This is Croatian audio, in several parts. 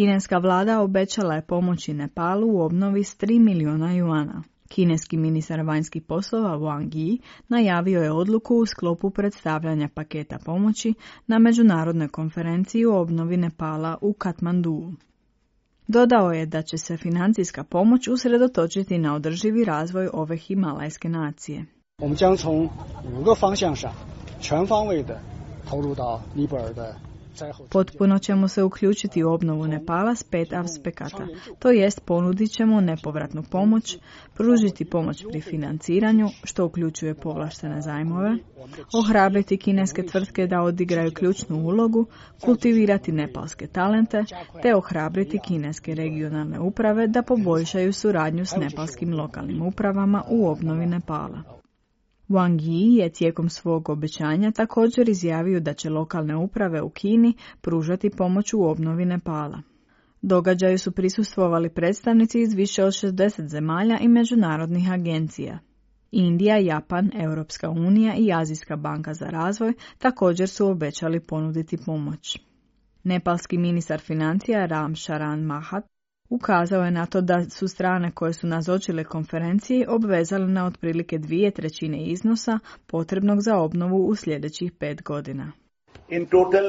Kineska vlada obećala je pomoći Nepalu u obnovi s 3 milijuna juana. Kineski ministar vanjskih poslova Wang Yi najavio je odluku u sklopu predstavljanja paketa pomoći na međunarodnoj konferenciji o obnovi Nepala u Katmanduu. Dodao je da će se financijska pomoć usredotočiti na održivi razvoj ove himalajske nacije. Potpuno ćemo se uključiti u obnovu Nepala s 5 aspekata, to jest ponudit ćemo nepovratnu pomoć, pružiti pomoć pri financiranju, što uključuje povlaštene zajmove, ohrabriti kineske tvrtke da odigraju ključnu ulogu, kultivirati nepalske talente, te ohrabriti kineske regionalne uprave da poboljšaju suradnju s nepalskim lokalnim upravama u obnovi Nepala. Wang Yi je tijekom svog obećanja također izjavio da će lokalne uprave u Kini pružati pomoć u obnovi Nepala. Događaju su prisustvovali predstavnici iz više od 60 zemalja i međunarodnih agencija. Indija, Japan, Europska unija i Azijska banka za razvoj također su obećali ponuditi pomoć. Nepalski ministar financija Ram Charan Mahat ukazao je na to da su strane koje su nazočile konferenciji obvezale na otprilike 2/3 iznosa potrebnog za obnovu u sljedećih 5 godina. In total,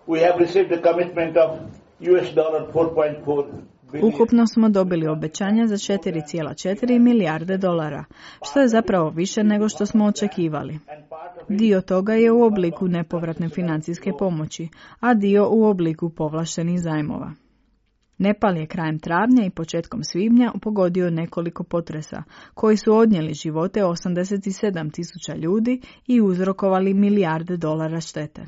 we have received a commitment of $4.4 billion. Ukupno smo dobili obećanja za 4,4 milijarde dolara, što je zapravo više nego što smo očekivali. Dio toga je u obliku nepovratne financijske pomoći, a dio u obliku povlaštenih zajmova. Nepal je krajem travnja i početkom svibnja pogodio nekoliko potresa, koji su odnijeli živote 87.000 ljudi i uzrokovali milijarde dolara štete.